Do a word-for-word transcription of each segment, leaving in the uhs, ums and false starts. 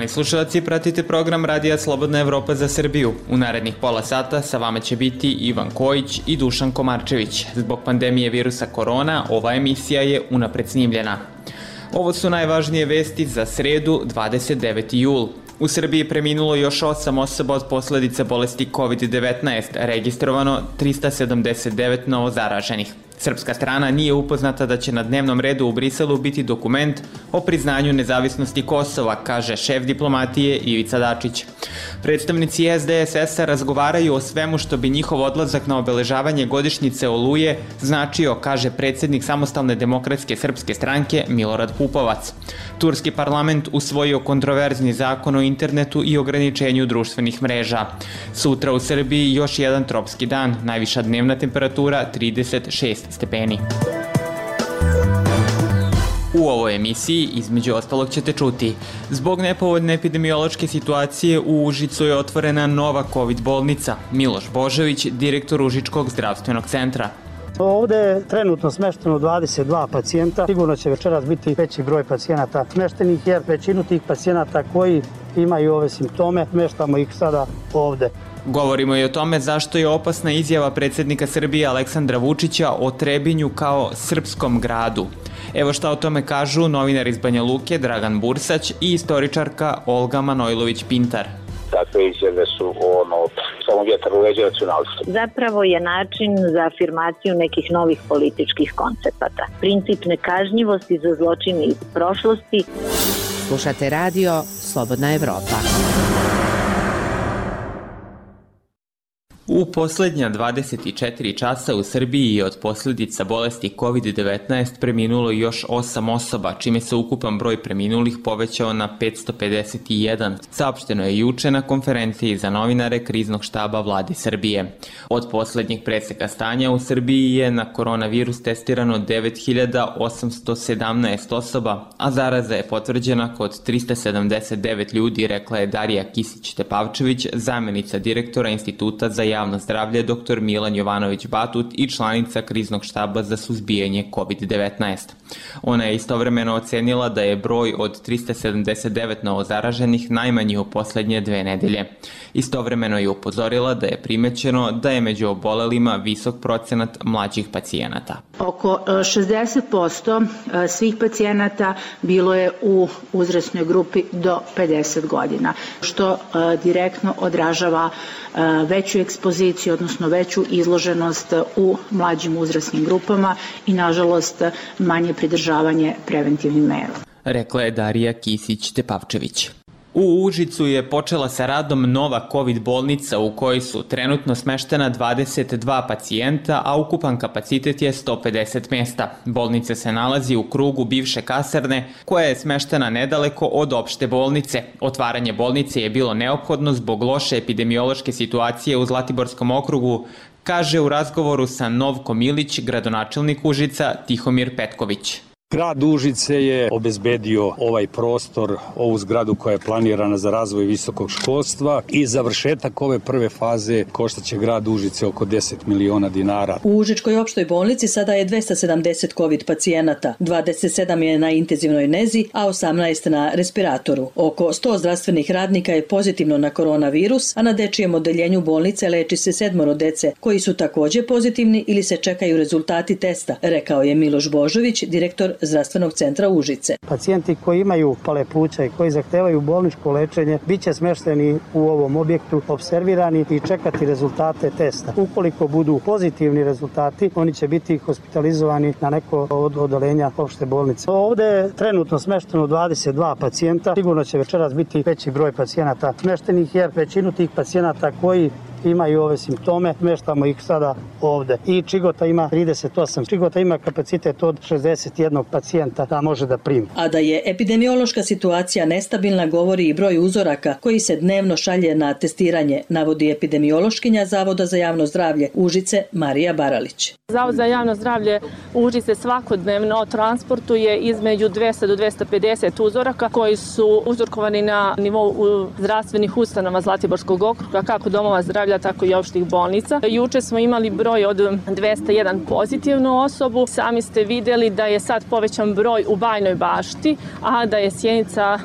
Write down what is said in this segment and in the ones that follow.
slušalci, pratite program Radija Slobodna Evropa za Srbiju. U narednih pola sata sa vama će biti Ivan Kojić i Dušan Komarčević. Zbog pandemije virusa korona, ova emisija je unapred snimljena. Ovo su najvažnije vesti za sredu, dvadeset deveti jul. U Srbiji je preminulo još osam osoba od posledica bolesti kovid devetnaest, registrovano trista sedamdeset devet novozaraženih. Srpska strana nije upoznata da će na dnevnom redu u Briselu biti dokument o priznanju nezavisnosti Kosova, kaže šef diplomatije Ivica Dačić. Predstavnici S D S S-a razgovaraju o svemu što bi njihov odlazak na obeležavanje godišnjice Oluje značio, kaže predsjednik Samostalne demokratske srpske stranke Milorad Pupovac. Turski parlament usvojio kontroverzni zakon o internetu i ograničenju društvenih mreža. Sutra u Srbiji još jedan tropski dan, najviša dnevna temperatura trideset šest stepeni. U ovoj emisiji, između ostalog, ćete čuti: zbog nepovoljne epidemiološke situacije u Užicu je otvorena nova COVID bolnica. Miloš Božović, direktor Užičkog zdravstvenog centra. Ovde je trenutno smešteno dvadeset dva pacijenta. Sigurno će večeras biti veći broj pacijenata smeštenih, jer većinu tih pacijenata koji imaju ove simptome smeštamo ih sada ovde. Govorimo i o tome zašto je opasna izjava predsjednika Srbije Aleksandra Vučića o Trebinju kao srpskom gradu. Evo šta o tome kažu novinar iz Banja Luke Dragan Bursać i istoričarka Olga Manojlović-Pintar. Takve izjave su ono, samo vjetar u leđa nacionalstva. Zapravo je način za afirmaciju nekih novih političkih koncepata. Princip nekažnjivosti za zločine iz prošlosti. Slušate radio Slobodna Evropa. U posljednja dvadeset četiri časa u Srbiji je od posljedica bolesti kovid devetnaest preminulo još osam osoba, čime se ukupan broj preminulih povećao na petsto pedeset jedan. Saopšteno je juče na konferenciji za novinare Kriznog štaba Vlade Srbije. Od posljednjih preseka stanja u Srbiji je na koronavirus testirano devet hiljada osamsto sedamnaest osoba, a zaraza je potvrđena kod trista sedamdeset devet ljudi, rekla je Darija Kisić-Tepavčević, zamjenica direktora Instituta za javno zdravlje dr Milan Jovanović-Batut i članica Kriznog štaba za suzbijanje kovid devetnaest. Ona je istovremeno ocenila da je broj od trista sedamdeset devet novozaraženih najmanji u posljednje dve nedelje. Istovremeno je upozorila da je primećeno da je među obolelima visok procenat mlađih pacijenata. Oko šezdeset posto svih pacijenata bilo je u uzrasnoj grupi do pedeset godina, što direktno odražava veću ekspoziciju, odnosno veću izloženost u mlađim uzrasnim grupama i, nažalost, manje pridržavanje preventivnim mera. Rekla je Darija Kisić-Tepavčević. U Užicu je počela sa radom nova COVID bolnica u kojoj su trenutno smeštena dvadeset dva pacijenta, a ukupan kapacitet je sto pedeset mjesta. Bolnica se nalazi u krugu bivše kasarne, koja je smeštena nedaleko od opšte bolnice. Otvaranje bolnice je bilo neophodno zbog loše epidemiološke situacije u Zlatiborskom okrugu, kaže u razgovoru sa Novkom Ilić gradonačelnik Užica Tihomir Petković. Grad Užice je obezbedio ovaj prostor, ovu zgradu koja je planirana za razvoj visokog školstva i završetak ove prve faze koštaće grad Užice oko deset miliona dinara. U Užičkoj opštoj bolnici sada je dvesta sedamdeset COVID pacijenata, dvadeset sedam je na intenzivnoj nezi, a osamnaest na respiratoru. Oko sto zdravstvenih radnika je pozitivno na koronavirus, a na dečijem odeljenju bolnice leči se sedmoro dece koji su takođe pozitivni ili se čekaju rezultati testa, rekao je Miloš Božović, direktor zdravstvenog centra Užice. Pacijenti koji imaju pale pluća i koji zahtevaju bolničko lečenje biće smešteni u ovom objektu, observirani i čekati rezultate testa. Ukoliko budu pozitivni rezultati, oni će biti hospitalizovani na neko od odeljenja opšte bolnice. Ovde je trenutno smešteno dvadeset dva pacijenta. Sigurno će večeras biti veći broj pacijenata smeštenih, jer većinu tih pacijenata koji imaju ove simptome smeštamo ih sada ovde. I Čigota ima trideset osam. Čigota ima kapacitet od šezdeset jedan pacijenta da može da primi. A da je epidemiološka situacija nestabilna govori i broj uzoraka koji se dnevno šalje na testiranje, navodi epidemiološkinja Zavoda za javno zdravlje Užice Marija Baralić. Zavod za javno zdravlje Užice svakodnevno transportuje između dvesta do dvesta pedeset uzoraka koji su uzorkovani na nivou zdravstvenih ustanova Zlatiborskog okruga, kako domova zdravlja zdravlja, tako i opštih bolnica. Juče smo imali broj od dvesta jedan pozitivnu osobu. Sami ste vidjeli da je sad povećan broj u Bajnoj Bašti, a da je Sjenica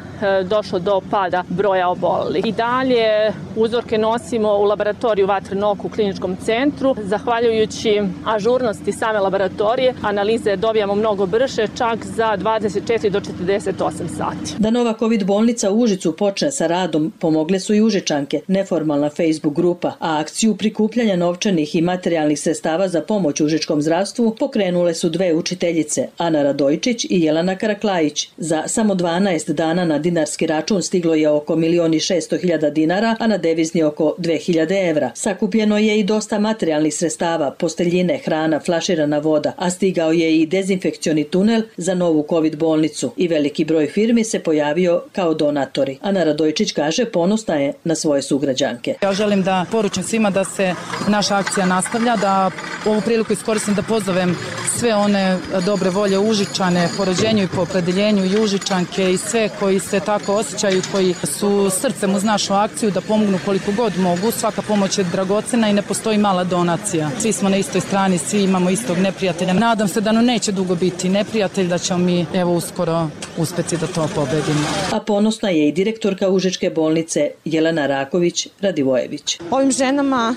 došlo do pada broja obolelih. I dalje uzorke nosimo u laboratoriju Vatreno oko u kliničkom centru. Zahvaljujući ažurnosti same laboratorije, analize dobijamo mnogo brže, čak za dvadeset četiri do četrdeset osam sati. Da nova COVID bolnica u Užicu počne sa radom, pomogle su i Užičanke, neformalna Facebook grupa, a akciju prikupljanja novčanih i materijalnih sredstava za pomoć užičkom zdravstvu pokrenule su dve učiteljice, Ana Radojčić i Jelena Karaklajić. Za samo dvanaest dana na dinarski račun stiglo je oko milion i šesto hiljada dinara, a na devizni oko dve hiljade evra. Sakupljeno je i dosta materijalnih sredstava, posteljine, hrana, flaširana voda, a stigao je i dezinfekcioni tunel za novu COVID bolnicu i veliki broj firmi se pojavio kao donatori. Ana Radojčić kaže ponosna je na svoje sugrađanke. Ja želim da poručim svima da se naša akcija nastavlja, da ovu priliku iskoristim da pozovem sve one dobre volje Užičane po rođenju i po opredeljenju i Užičanke i sve koji se tako osjećaju, koji su srcem uz našu akciju da pomognu koliko god mogu. Svaka pomoć je dragocena i ne postoji mala donacija. Svi smo na istoj strani, svi imamo istog neprijatelja. Nadam se da nam neće dugo biti neprijatelj, da ćemo mi evo uskoro uspeti da to pobedimo. A ponosna je i direktorka Užičke bolnice Jelena Raković Radivojević. Ovim ženama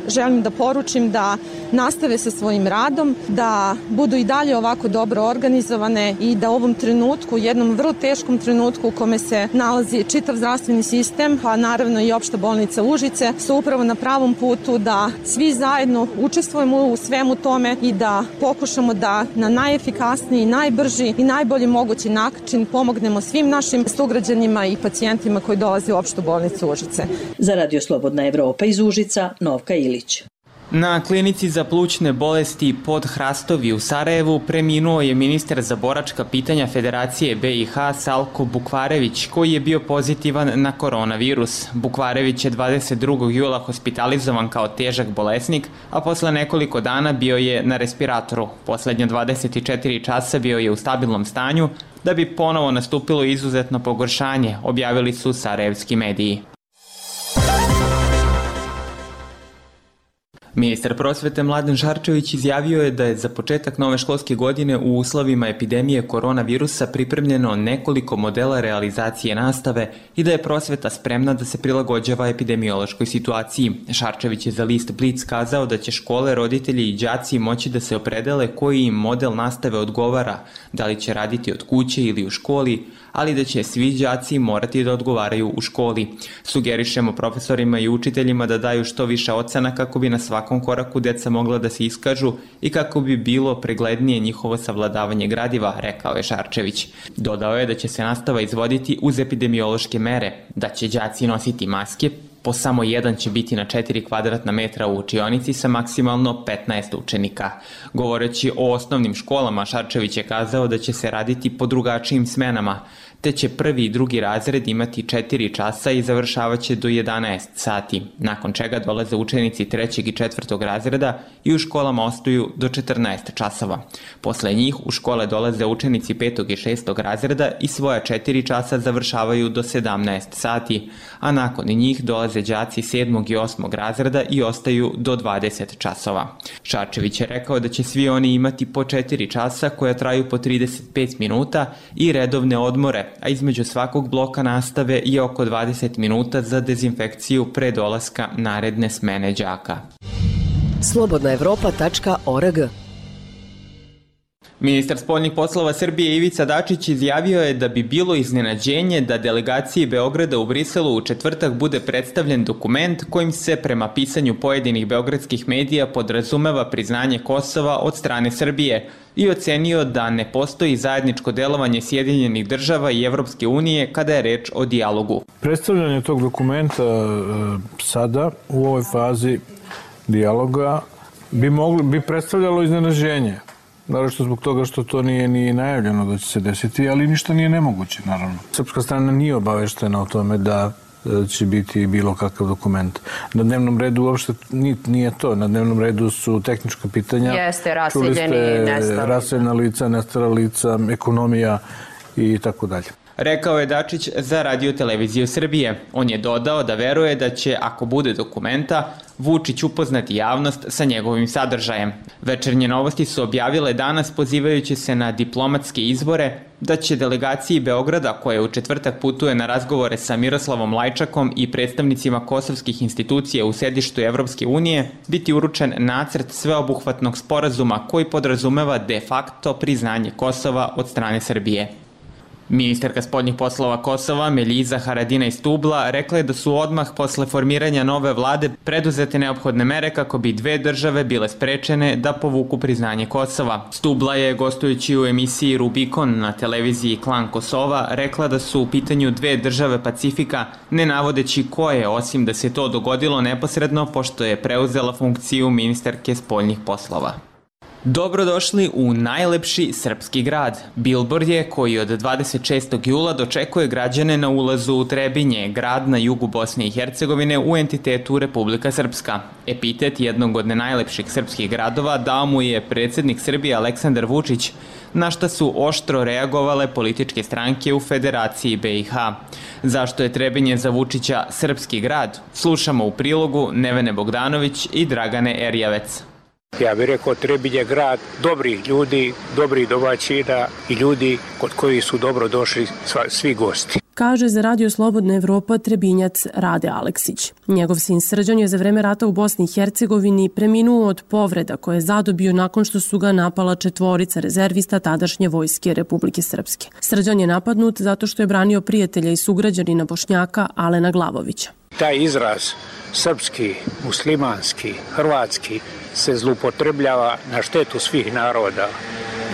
želim da poručim da nastave sa svojim radom, da budu i dalje ovako dobro organizovane i da u ovom trenutku, jednom vrlo teškom trenutku u kome se nalazi čitav zdravstveni sistem, a naravno i opšta bolnica Užice, su upravo na pravom putu da svi zajedno učestvujemo u svemu tome i da pokušamo da na najefikasniji, najbrži i najbolji mogući način pomognemo svim našim sugrađanima i pacijentima koji dolaze u opštu bolnicu Užice. Za Radio Slobodna Evropa iz Užica, Novka Ilić. Na klinici za plućne bolesti pod Hrastovi u Sarajevu preminuo je ministar za boračka pitanja Federacije B i H Salko Bukvarević, koji je bio pozitivan na koronavirus. Bukvarević je dvadeset drugog jula hospitalizovan kao težak bolesnik, a posle nekoliko dana bio je na respiratoru. Poslednja dvadeset četiri časa bio je u stabilnom stanju, da bi ponovo nastupilo izuzetno pogoršanje, objavili su sarajevski mediji. Ministar prosvete Mladen Šarčević izjavio je da je za početak nove školske godine u uslovima epidemije koronavirusa pripremljeno nekoliko modela realizacije nastave i da je prosveta spremna da se prilagođava epidemiološkoj situaciji. Šarčević je za list Blic kazao da će škole, roditelji i đaci moći da se opredele koji im model nastave odgovara, da li će raditi od kuće ili u školi, ali da će svi đaci morati da odgovaraju u školi. Sugerišemo profesorima i učiteljima da daju što više ocena kako bi na svakom koraku deca mogla da se iskažu i kako bi bilo preglednije njihovo savladavanje gradiva, rekao je Šarčević. Dodao je da će se nastava izvoditi uz epidemiološke mere, da će đaci nositi maske, po samo jedan će biti na četiri kvadratna metra u učionici sa maksimalno petnaest učenika. Govoreći o osnovnim školama, Šarčević je kazao da će se raditi po drugačijim smenama, te će prvi i drugi razred imati četiri časa i završavaće do jedanaest sati, nakon čega dolaze učenici trećeg i četvrtog razreda i u školama ostaju do četrnaest časova. Posle njih u škole dolaze učenici petog i šestog razreda i svoja četiri časa završavaju do sedamnaest sati, a nakon njih dolaze đaci sedmog i osmog razreda i ostaju do dvadeset časova. Šarčević je rekao da će svi oni imati po četiri časa koja traju po trideset pet minuta i redovne odmore, a između svakog bloka nastave je oko dvadeset minuta za dezinfekciju pre dolaska naredne smene đaka. slobodna evropa tačka org. Ministar spoljnih poslova Srbije Ivica Dačić izjavio je da bi bilo iznenađenje da delegaciji Beograda u Briselu u četvrtak bude predstavljen dokument kojim se prema pisanju pojedinih beogradskih medija podrazumeva priznanje Kosova od strane Srbije i ocenio da ne postoji zajedničko delovanje Sjedinjenih država i Evropske unije kada je reč o dijalogu. Predstavljanje tog dokumenta sada u ovoj fazi dijaloga bi, mogli, bi predstavljalo iznenađenje. Naravno što zbog toga što to nije ni najavljeno da će se desiti, ali ništa nije nemoguće, naravno. Srpska strana nije obaveštena o tome da će biti bilo kakav dokument. Na dnevnom redu uopšte nije to. Na dnevnom redu su tehnička pitanja. Jeste, raseljeni i nestali. Raseljena lica, nestala lica, ekonomija i tako dalje. rekao je Dačić za Radio televiziju Srbije. On je dodao da veruje da će, ako bude dokumenta, Vučić upoznati javnost sa njegovim sadržajem. Večernje novosti su objavile danas, pozivajući se na diplomatske izbore, da će delegaciji Beograda, koja u četvrtak putuje na razgovore sa Miroslavom Lajčakom i predstavnicima kosovskih institucija u sedištu Evropske unije, biti uručen nacrt sveobuhvatnog sporazuma koji podrazumeva de facto priznanje Kosova od strane Srbije. Ministarka spoljnih poslova Kosova, Meljiza Haradinaj Stubla, rekla je da su odmah posle formiranja nove vlade preduzete neophodne mere kako bi dve države bile sprečene da povuku priznanje Kosova. Stubla je, gostujući u emisiji Rubikon na televiziji Klan Kosova, rekla da su u pitanju dve države Pacifika, ne navodeći koje, osim da se to dogodilo neposredno pošto je preuzela funkciju ministarke spoljnih poslova. Dobrodošli u najlepši srpski grad. Bilbord je, koji od dvadeset šestog jula dočekuje građane na ulazu u Trebinje, grad na jugu Bosne i Hercegovine u entitetu Republika Srpska. Epitet jednog od najlepših srpskih gradova dao mu je predsjednik Srbije Aleksandar Vučić, na šta su oštro reagovale političke stranke u Federaciji be i ha. Zašto je Trebinje za Vučića srpski grad? Slušamo u prilogu Nevene Bogdanović i Dragane Erjavec. Ja bih rekao, Trebinje je grad dobrih ljudi, dobrih domaćina i ljudi kod kojih su dobro došli svi gosti. Kaže za Radio Slobodna Evropa Trebinjac Rade Aleksić. Njegov sin Srđan je za vreme rata u Bosni i Hercegovini preminuo od povreda koje je zadobio nakon što su ga napala četvorica rezervista tadašnje vojske Republike Srpske. Srđan je napadnut zato što je branio prijatelja i sugrađanina Bošnjaka Alena Glavovića. Taj izraz srpski, muslimanski, hrvatski se zloupotrebljava na štetu svih naroda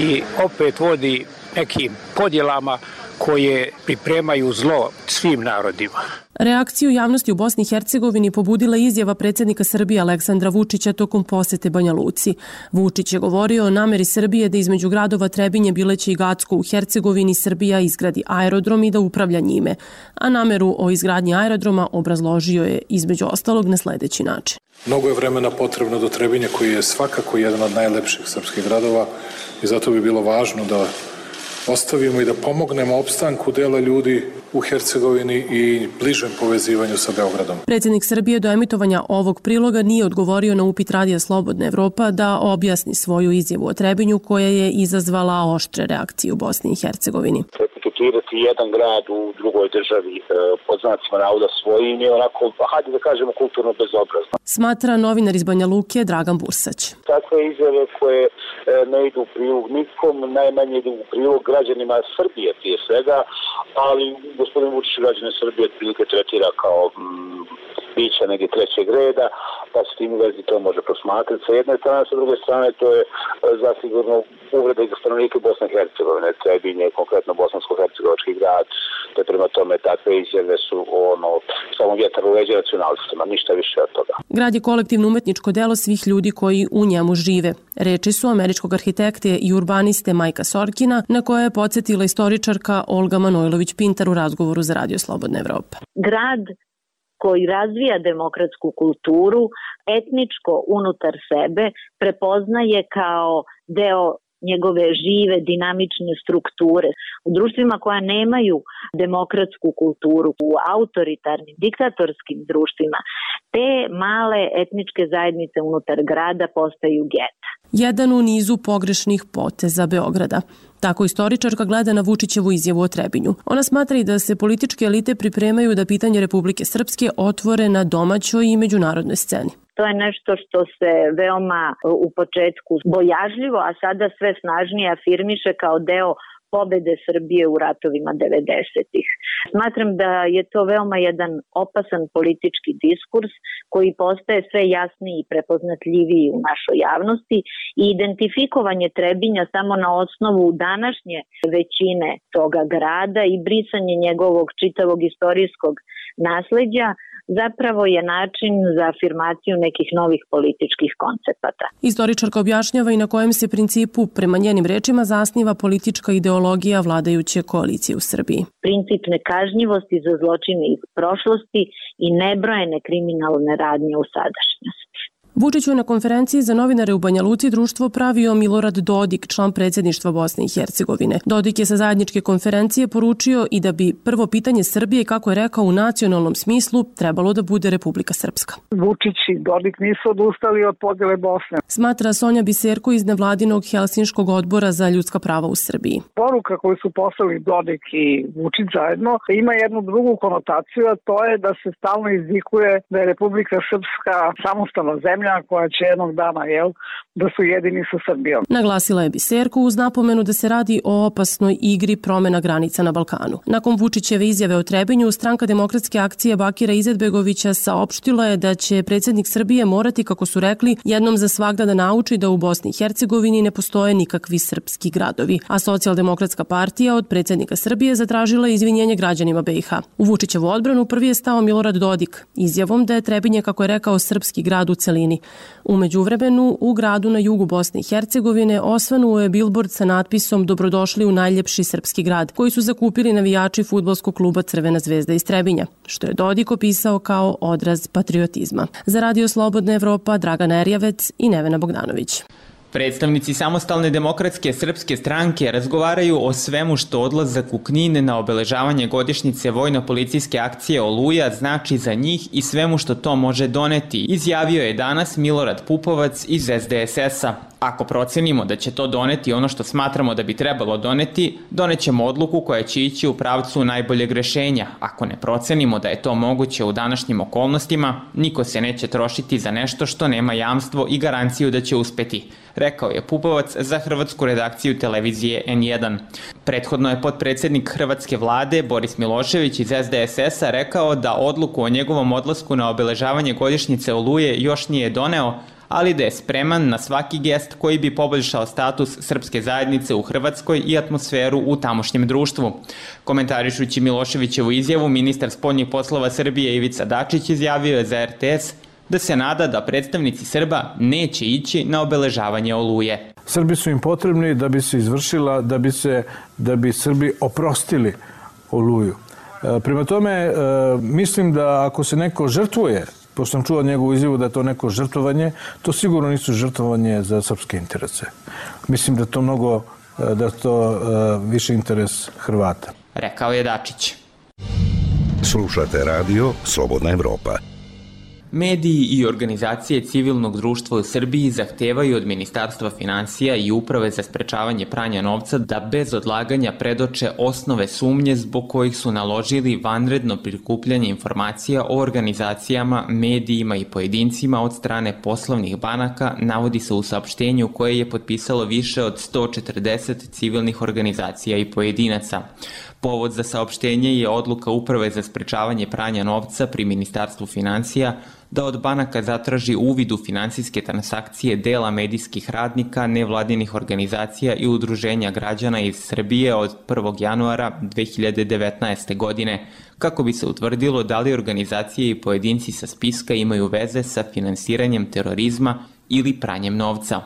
i opet vodi nekim podjelama koje pripremaju zlo svim narodima. Reakciju javnosti u Bosni i Hercegovini pobudila izjava predsjednika Srbije Aleksandra Vučića tokom posete Banja Luci. Vučić je govorio o nameri Srbije da između gradova Trebinje, Bileće i Gacko u Hercegovini Srbija izgradi aerodrom i da upravlja njime, a nameru o izgradnji aerodroma obrazložio je između ostalog na sljedeći način. Mnogo je vremena potrebno do Trebinje, koji je svakako jedan od najlepših srpskih gradova, i zato bi bilo važno da ostavimo i da pomognemo opstanku dela ljudi u Hercegovini i bližem povezivanju sa Beogradom. Predsjednik Srbije do emitovanja ovog priloga nije odgovorio na upit Radija Slobodna Evropa da objasni svoju izjavu o Trebinju koja je izazvala oštre reakcije u Bosni i Hercegovini. Etiketirati jedan grad u drugoj državi pod znacima navoda svojim je onako, hajde da kažemo, kulturno bezobrazno. Smatra novinar iz Banja Luke Dragan Bursać. Takve izjave koje ne idu u prilog nikom, najmanje idu u prilog građanima Srbije prije svega, ali gospodin Vučić građane Srbije otprilike tretira kao mm, bića negdje trećeg reda, pa se tim u vezi to može prosmatrati sa jedne strane, sa druge strane to je zasigurno uvreda i za stanovnike Bosne i Hercegovine. Trebinje, konkretno bosansko-hercegovački grad, te prema tome takve izjave su ono, samo vjetar u leđa nacionalistima, ništa više od toga. Grad je kolektivno umetničko delo svih ljudi koji u njemu žive. Reči su američkog arhitekte i urbaniste Majka Sorkina, na koje je podsjetila istoričarka Olga Manojlović-Pintar u razgovoru za Radio Slobodna Evropa. Grad koji razvija demokratsku kulturu, etničko unutar sebe, prepoznaje kao deo njegove žive, dinamične strukture. U društvima koja nemaju demokratsku kulturu, u autoritarnim, diktatorskim društvima, te male etničke zajednice unutar grada postaju geta. Jedan u nizu pogrešnih poteza Beograda. Tako istoričarka gleda na Vučićevu izjavu o Trebinju. Ona smatra i da se političke elite pripremaju da pitanje Republike Srpske otvore na domaćoj i međunarodnoj sceni. To je nešto što se veoma u početku bojažljivo, a sada sve snažnije afirmiše kao deo pobede Srbije u ratovima devedesetih. Smatram da je to veoma jedan opasan politički diskurs koji postaje sve jasniji i prepoznatljiviji u našoj javnosti i identifikovanje Trebinja samo na osnovu današnje većine toga grada i brisanje njegovog čitavog istorijskog nasleđa zapravo je način za afirmaciju nekih novih političkih koncepata. Istoričarka objašnjava i na kojem se principu, prema njenim rečima, zasniva politička ideologija vladajuće koalicije u Srbiji. Princip nekažnjivosti za zločine iz prošlosti i nebrojene kriminalne radnje u sadašnjosti. Vučić je na konferenciji za novinare u Banja Luci društvo pravio Milorad Dodik, član predsjedništva Bosne i Hercegovine. Dodik je sa zajedničke konferencije poručio i da bi prvo pitanje Srbije, kako je rekao u nacionalnom smislu, trebalo da bude Republika Srpska. Vučić i Dodik nisu odustali od podjele Bosne. Smatra Sonja Biserko iz nevladinog Helsinškog odbora za ljudska prava u Srbiji. Poruka koju su poslali Dodik i Vučić zajedno ima jednu drugu konotaciju, a to je da se stalno izvikuje da je Republika Srpska samostalna zemlja koja će jednog dana, jel, da su jedini sa Srbijom. Naglasila je Biserko uz napomenu da se radi o opasnoj igri promjena granica na Balkanu. Nakon Vučićeve izjave o Trebinju, Stranka demokratske akcije Bakira Izetbegovića saopštila je da će predsjednik Srbije morati, kako su rekli, jednom za svagda da nauči da u Bosni i Hercegovini ne postoje nikakvi srpski gradovi. A Socijaldemokratska partija od predsjednika Srbije zatražila izvinjenje građanima be i ha. U Vučićevu odbranu prvi je stao Milorad Dodik, izjavom da je Trebinje, kako je rekao, srpski grad u celini. U međuvremenu, u gradu na jugu Bosne i Hercegovine osvanuo je bilbord sa natpisom Dobrodošli u najljepši srpski grad, koji su zakupili navijači fudbalskog kluba Crvena zvezda iz Trebinja, što je Dodik opisao kao odraz patriotizma. Za Radio Slobodna Evropa, Dragana Erjavec i Nevena Bogdanović. Predstavnici Samostalne demokratske srpske stranke razgovaraju o svemu što odlazak u Knin na obeležavanje godišnjice vojno-policijske akcije Oluja znači za njih i svemu što to može doneti, izjavio je danas Milorad Pupovac iz es de es es-a. Ako procenimo da će to doneti ono što smatramo da bi trebalo doneti, donećemo odluku koja će ići u pravcu najboljeg rešenja. Ako ne procenimo da je to moguće u današnjim okolnostima, niko se neće trošiti za nešto što nema jamstvo i garanciju da će uspeti, rekao je Pupovac za hrvatsku redakciju televizije en jedan. Prethodno je potpredsjednik hrvatske vlade Boris Milošević iz es de es es-a rekao da odluku o njegovom odlasku na obeležavanje godišnjice Oluje još nije doneo, ali da je spreman na svaki gest koji bi poboljšao status srpske zajednice u Hrvatskoj i atmosferu u tamošnjem društvu. Komentarišući Miloševićevu izjavu, ministar spoljnih poslova Srbije Ivica Dačić izjavio je za er te es da se nada da predstavnici Srba neće ići na obeležavanje Oluje. Srbi su im potrebni da bi se izvršila, da bi se da bi Srbi oprostili Oluju. Prema tome, mislim da ako se neko žrtvuje, pošto sam čuo njegovu izjavu da je to neko žrtvovanje, to sigurno nisu žrtvovanje za srpske interese. Mislim da to mnogo, da to više interes Hrvata. Rekao je Dačić. Slušate radio Slobodna Evropa. Mediji i organizacije civilnog društva u Srbiji zahtevaju od Ministarstva finansija i Uprave za sprečavanje pranja novca da bez odlaganja predoče osnove sumnje zbog kojih su naložili vanredno prikupljanje informacija o organizacijama, medijima i pojedincima od strane poslovnih banaka, navodi se u saopštenju koje je potpisalo više od sto četrdeset civilnih organizacija i pojedinaca. Povod za saopštenje je odluka Uprave za sprečavanje pranja novca pri Ministarstvu finansija da od banaka zatraži uvid u finansijske transakcije dela medijskih radnika, nevladinih organizacija i udruženja građana iz Srbije od prvog januara dve hiljade devetnaeste. godine, kako bi se utvrdilo da li organizacije i pojedinci sa spiska imaju veze sa finansiranjem terorizma ili pranjem novca.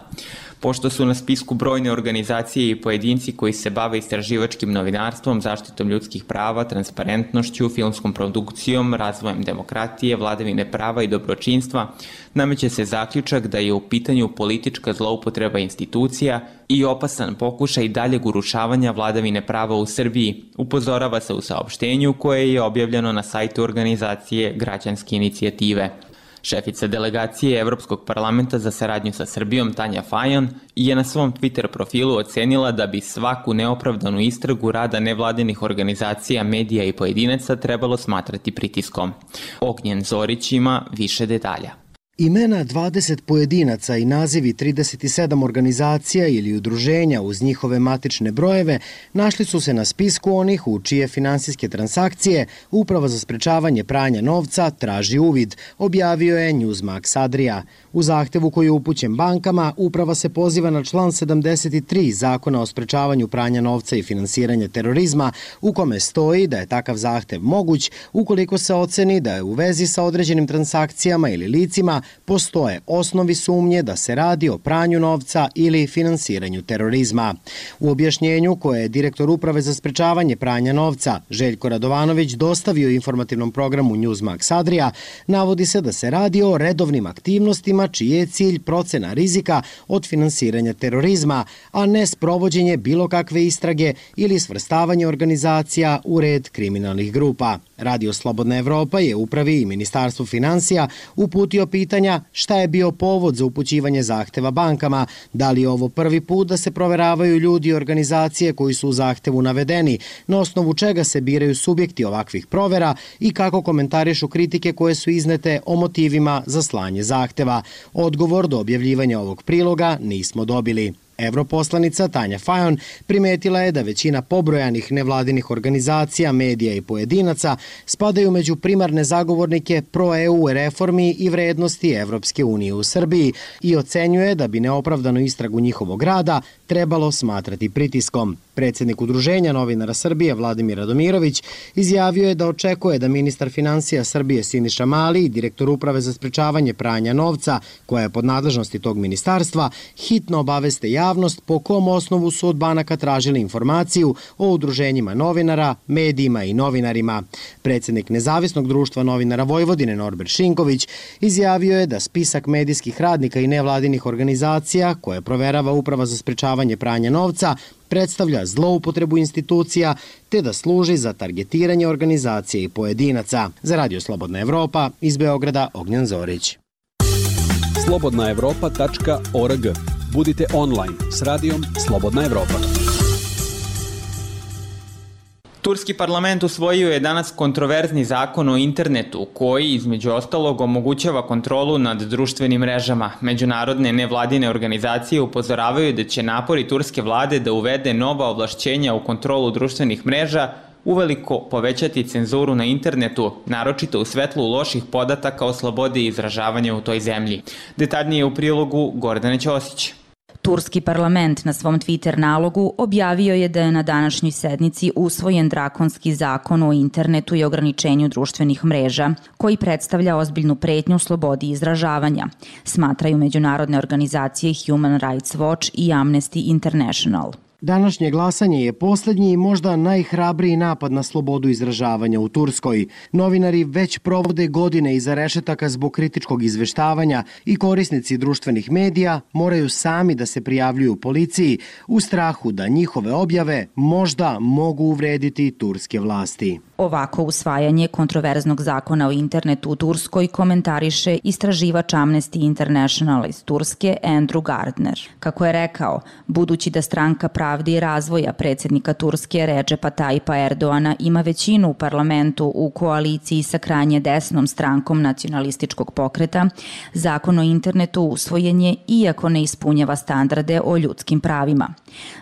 Pošto su na spisku brojne organizacije i pojedinci koji se bave istraživačkim novinarstvom, zaštitom ljudskih prava, transparentnošću, filmskom produkcijom, razvojem demokratije, vladavine prava i dobročinstva, nameće se zaključak da je u pitanju politička zloupotreba institucija i opasan pokušaj daljeg urušavanja vladavine prava u Srbiji, upozorava se u saopštenju koje je objavljeno na sajtu organizacije Građanske inicijative. Šefica delegacije Evropskog parlamenta za saradnju sa Srbijom Tanja Fajon je na svom Twitter profilu ocenila da bi svaku neopravdanu istragu rada nevladinih organizacija, medija i pojedinaca trebalo smatrati pritiskom. Ognjen Zorić ima više detalja. Imena dvadeset pojedinaca i nazivi trideset sedam organizacija ili udruženja uz njihove matične brojeve našli su se na spisku onih u čije finansijske transakcije Uprava za sprečavanje pranja novca traži uvid, objavio je Newsmax Adria. U zahtevu koji je upućen bankama, Uprava se poziva na član sedamdeset tri Zakona o sprečavanju pranja novca i finansiranja terorizma, u kome stoji da je takav zahtev moguć ukoliko se oceni da je u vezi sa određenim transakcijama ili licima postoje osnovi sumnje da se radi o pranju novca ili finansiranju terorizma. U objašnjenju koje je direktor Uprave za sprečavanje pranja novca Željko Radovanović dostavio informativnom programu Newsmax Adria, navodi se da se radi o redovnim aktivnostima čiji je cilj procena rizika od finansiranja terorizma, a ne sprovođenje bilo kakve istrage ili svrstavanje organizacija u red kriminalnih grupa. Radio Slobodna Evropa je Upravi i Ministarstvu finansija uputio pitanja šta je bio povod za upućivanje zahteva bankama, da li je ovo prvi put da se proveravaju ljudi i organizacije koji su u zahtevu navedeni, na osnovu čega se biraju subjekti ovakvih provera i kako komentarišu kritike koje su iznete o motivima za slanje zahteva. Odgovor do objavljivanja ovog priloga nismo dobili. Evroposlanica Tanja Fajon primetila je da većina pobrojanih nevladinih organizacija, medija i pojedinaca spadaju među primarne zagovornike pro-E U reformi i vrednosti Evropske unije u Srbiji i ocenjuje da bi neopravdanu istragu njihovog rada trebalo smatrati pritiskom. Predsjednik Udruženja novinara Srbije Vladimir Radomirović izjavio je da očekuje da ministar finansija Srbije Siniša Mali i direktor Uprave za sprečavanje pranja novca, koja je pod nadležnosti tog ministarstva, hitno obaveste javnost po kom osnovu su od banaka tražili informaciju o udruženjima novinara, medijima i novinarima. Predsjednik Nezavisnog društva novinara Vojvodine Norbert Šinković izjavio je da spisak medijskih radnika i nevladinih organizacija koje proverava Uprava za sprečavanje pranja novca predstavlja zloupotrebu institucija te da služi za targetiranje organizacije i pojedinaca. Za Radio Slobodna Evropa iz Beograda Ognjen Zorić. slobodna evropa tačka org. Budite online s radijom Slobodna Evropa. Turski parlament usvojio je danas kontroverzni zakon o internetu koji, između ostalog, omogućava kontrolu nad društvenim mrežama. Međunarodne nevladine organizacije upozoravaju da će napori turske vlade da uvede nova ovlašćenja u kontrolu društvenih mreža uveliko povećati cenzuru na internetu, naročito u svetlu loših podataka o slobodi izražavanja u toj zemlji. Detaljnije u prilogu Gordane Ćosić. Turski parlament na svom Twitter nalogu objavio je da je na današnjoj sednici usvojen drakonski zakon o internetu i ograničenju društvenih mreža, koji predstavlja ozbiljnu pretnju slobodi izražavanja, smatraju međunarodne organizacije Human Rights Watch i Amnesty International. Današnje glasanje je posljednji i možda najhrabriji napad na slobodu izražavanja u Turskoj. Novinari već provode godine iza rešetaka zbog kritičkog izveštavanja i korisnici društvenih medija moraju sami da se prijavljuju policiji u strahu da njihove objave možda mogu uvrediti turske vlasti. Ovako usvajanje kontroverznog zakona o internetu u Turskoj komentariše istraživač Amnesty International iz Turske Andrew Gardner. Kako je rekao, budući da stranka pravde i razvoja predsjednika Turske Recepa Tayyipa Erdoana ima većinu u parlamentu u koaliciji sa krajnje desnom strankom nacionalističkog pokreta, zakon o internetu usvojen je iako ne ispunjava standarde o ljudskim pravima.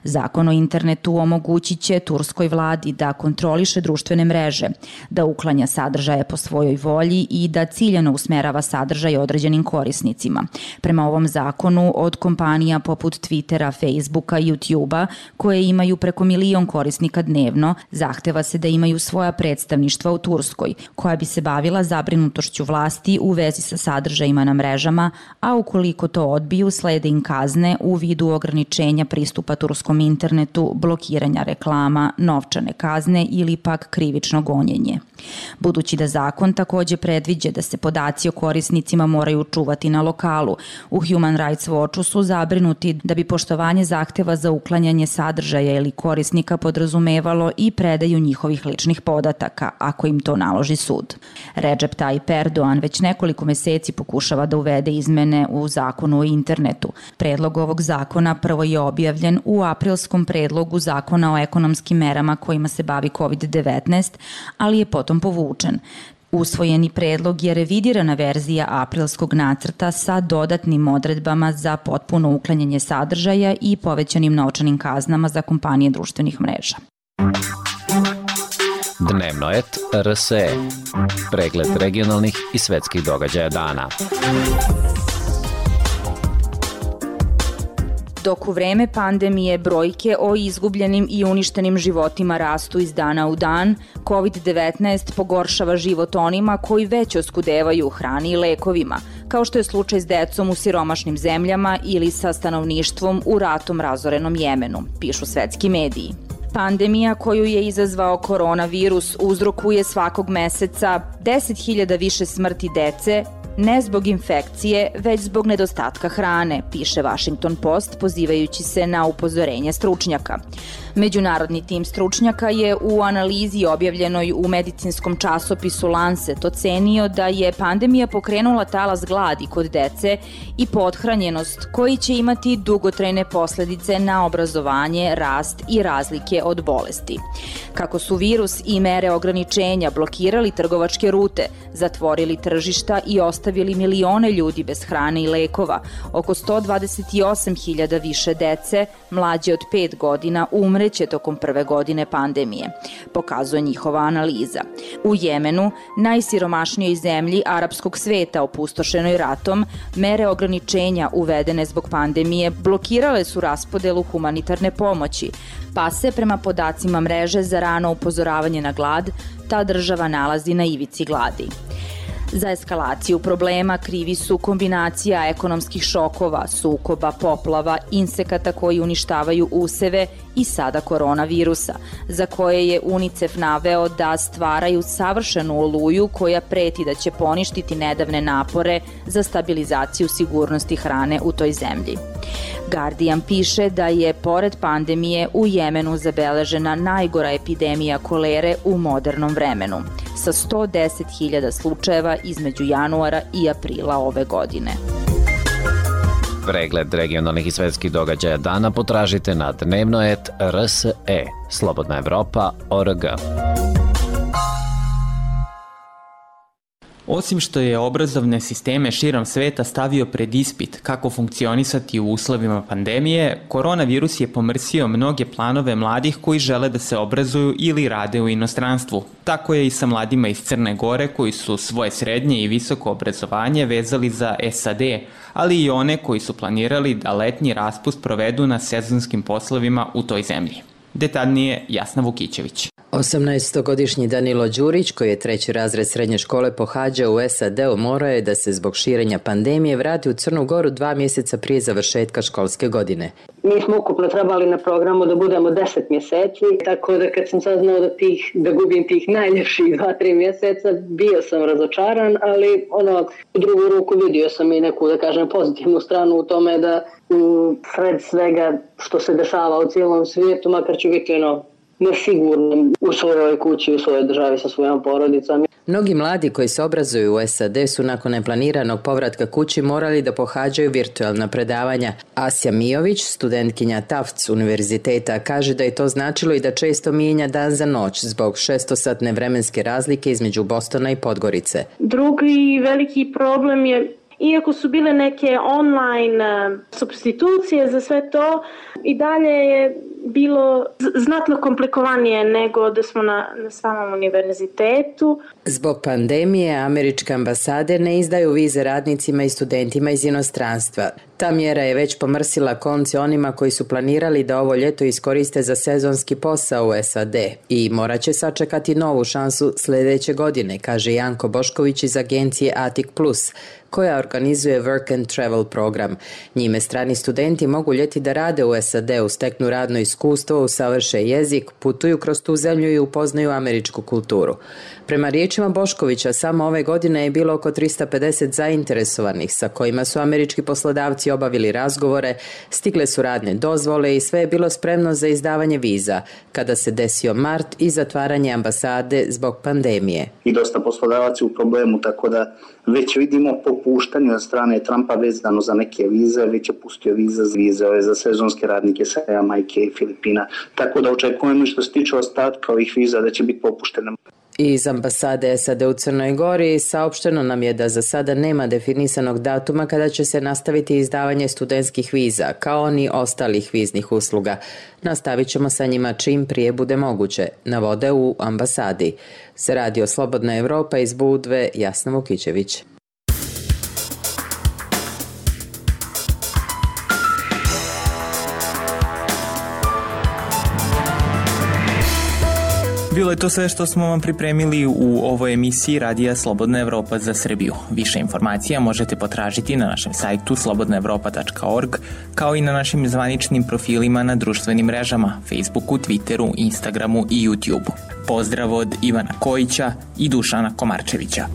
Zakon o internetu omogućit će turskoj vladi da kontroliše društvene mreže, da uklanja sadržaje po svojoj volji i da ciljano usmerava sadržaj određenim korisnicima. Prema ovom zakonu, od kompanija poput Twittera, Facebooka i YouTubea, koje imaju preko milion korisnika dnevno, zahteva se da imaju svoja predstavništva u Turskoj, koja bi se bavila zabrinutošću vlasti u vezi sa sadržajima na mrežama, a ukoliko to odbiju, slede im kazne u vidu ograničenja pristupa turskom internetu, blokiranja reklama, novčane kazne ili pak krivično gonjenje. Budući da zakon takođe predviđa da se podaci o korisnicima moraju čuvati na lokalu, u Human Rights Watchu su zabrinuti da bi poštovanje zahteva za uklanjanje sadržaja ili korisnika podrazumevalo i predaju njihovih ličnih podataka, ako im to naloži sud. Recep Tayyip Erdogan već nekoliko meseci pokušava da uvede izmene u zakonu o internetu. Predlog ovog zakona prvo je objavljen u aprilskom predlogu zakona o ekonomskim merama kojima se bavi kovid devetnaest, ali je potom povučen. Usvojeni predlog je revidirana verzija aprilskog nacrta sa dodatnim odredbama za potpuno uklanjanje sadržaja i povećanim novčanim kaznama za kompanije društvenih mreža. Dnevnoet R S E. Pregled regionalnih i svetskih događaja dana. Dok u vreme pandemije brojke o izgubljenim i uništenim životima rastu iz dana u dan, kovid devetnaest pogoršava život onima koji već oskudevaju hrani i lekovima, kao što je slučaj s decom u siromašnim zemljama ili sa stanovništvom u ratom razorenom Jemenu, pišu svetski mediji. Pandemija koju je izazvao koronavirus uzrokuje svakog meseca deset hiljada više smrti dece, ne zbog infekcije, već zbog nedostatka hrane, piše Washington Post pozivajući se na upozorenje stručnjaka. Međunarodni tim stručnjaka je u analizi objavljenoj u medicinskom časopisu Lancet ocenio da je pandemija pokrenula talas gladi kod dece i pothranjenost koji će imati dugotrajne posledice na obrazovanje, rast i razlike od bolesti. Kako su virus i mere ograničenja blokirali trgovačke rute, zatvorili tržišta i ostavili milione ljudi bez hrane i lekova, oko sto dvadeset osam hiljada više dece, mlađe od pet godina, umreće tokom prve godine pandemije, pokazuje njihova analiza. U Jemenu, najsiromašnijoj zemlji arapskog sveta opustošenoj ratom, mere ograničenja uvedene zbog pandemije blokirale su raspodelu humanitarne pomoći, pa se prema podacima mreže za rano upozoravanje na glad, ta država nalazi na ivici gladi. Za eskalaciju problema krivi su kombinacija ekonomskih šokova, sukoba, poplava, insekata koji uništavaju useve i sada koronavirusa, za koje je UNICEF naveo da stvaraju savršenu oluju koja preti da će poništiti nedavne napore za stabilizaciju sigurnosti hrane u toj zemlji. Guardian piše da je, pored pandemije, u Jemenu zabeležena najgora epidemija kolere u modernom vremenu, sa sto deset hiljada slučajeva između januara i aprila ove godine. Pregled regionalnih i svetskih događaja dana potražite na dnevnoet R S E, Slobodna Evropa, O R G. Osim što je obrazovne sisteme širom sveta stavio pred ispit kako funkcionisati u uslovima pandemije, koronavirus je pomrsio mnoge planove mladih koji žele da se obrazuju ili rade u inostranstvu. Tako je i sa mladima iz Crne Gore koji su svoje srednje i visoko obrazovanje vezali za S A D, ali i one koji su planirali da letnji raspust provedu na sezonskim poslovima u toj zemlji. Detaljnije Jasna Vukićević. osamnaestogodišnji Danilo Đurić, koji je treći razred srednje škole pohađao u S A D-u, morao je da se zbog širenja pandemije vrati u Crnu Goru dva mjeseca prije završetka školske godine. Mi smo ukupno trebali na programu da budemo deset mjeseci, tako da kad sam saznao da, tih, da gubim tih najljepših dva, tri mjeseca, bio sam razočaran, ali ono, u drugu ruku vidio sam i neku, da kažem, pozitivnu stranu u tome da u sred svega što se dešava u cijelom svijetu, makar ću biti ono, nesigurno u svojoj kući, u svojoj državi sa svojom porodicom. Mnogi mladi koji se obrazuju u S A D su nakon neplaniranog povratka kući morali da pohađaju virtualna predavanja. Asja Mijović, studentkinja Tufts univerziteta, kaže da je to značilo i da često mijenja dan za noć zbog šestosatne vremenske razlike između Bostona i Podgorice. Drugi veliki problem je, iako su bile neke online supstitucije za sve to, i dalje je bilo znatno komplikovanije nego da smo na, na samom univerzitetu. Zbog pandemije američke ambasade ne izdaju vize radnicima i studentima iz inostranstva. Ta mjera je već pomrsila konce onima koji su planirali da ovo ljeto iskoriste za sezonski posao u S A D i morat će sačekati novu šansu sljedeće godine, kaže Janko Bošković iz agencije Atik Plus, koja organizuje Work and Travel program. Njime strani studenti mogu ljeti da rade u S A D-u, steknu radno iskustvo, usavrše jezik, putuju kroz tu zemlju i upoznaju američku kulturu. Prema riječima Boškovića, samo ove godine je bilo oko trista pedeset zainteresovanih sa kojima su američki poslodavci obavili razgovore, stigle su radne dozvole i sve je bilo spremno za izdavanje viza, kada se desio mart i zatvaranje ambasade zbog pandemije. I dosta poslodavaca u problemu, tako da već vidimo popuštanje od strane Trumpa vezano za neke vize, već je pustio vize, vize za sezonske radnike sa Jamajke i Filipina, tako da očekujemo što se tiče ostatka ovih viza da će biti popuštene. Iz ambasade S A D u Crnoj Gori saopšteno nam je da za sada nema definisanog datuma kada će se nastaviti izdavanje studentskih viza, kao ni ostalih viznih usluga. Nastavit ćemo sa njima čim prije bude moguće, navode u ambasadi. Za Radio Slobodna Evropa iz Budve, Jasna Vukićević. Bilo je to sve što smo vam pripremili u ovoj emisiji Radija Slobodna Evropa za Srbiju. Više informacija možete potražiti na našem sajtu slobodna evropa tačka org, kao i na našim zvaničnim profilima na društvenim mrežama, Facebooku, Twitteru, Instagramu i YouTubeu. Pozdrav od Ivana Kojića i Dušana Komarčevića.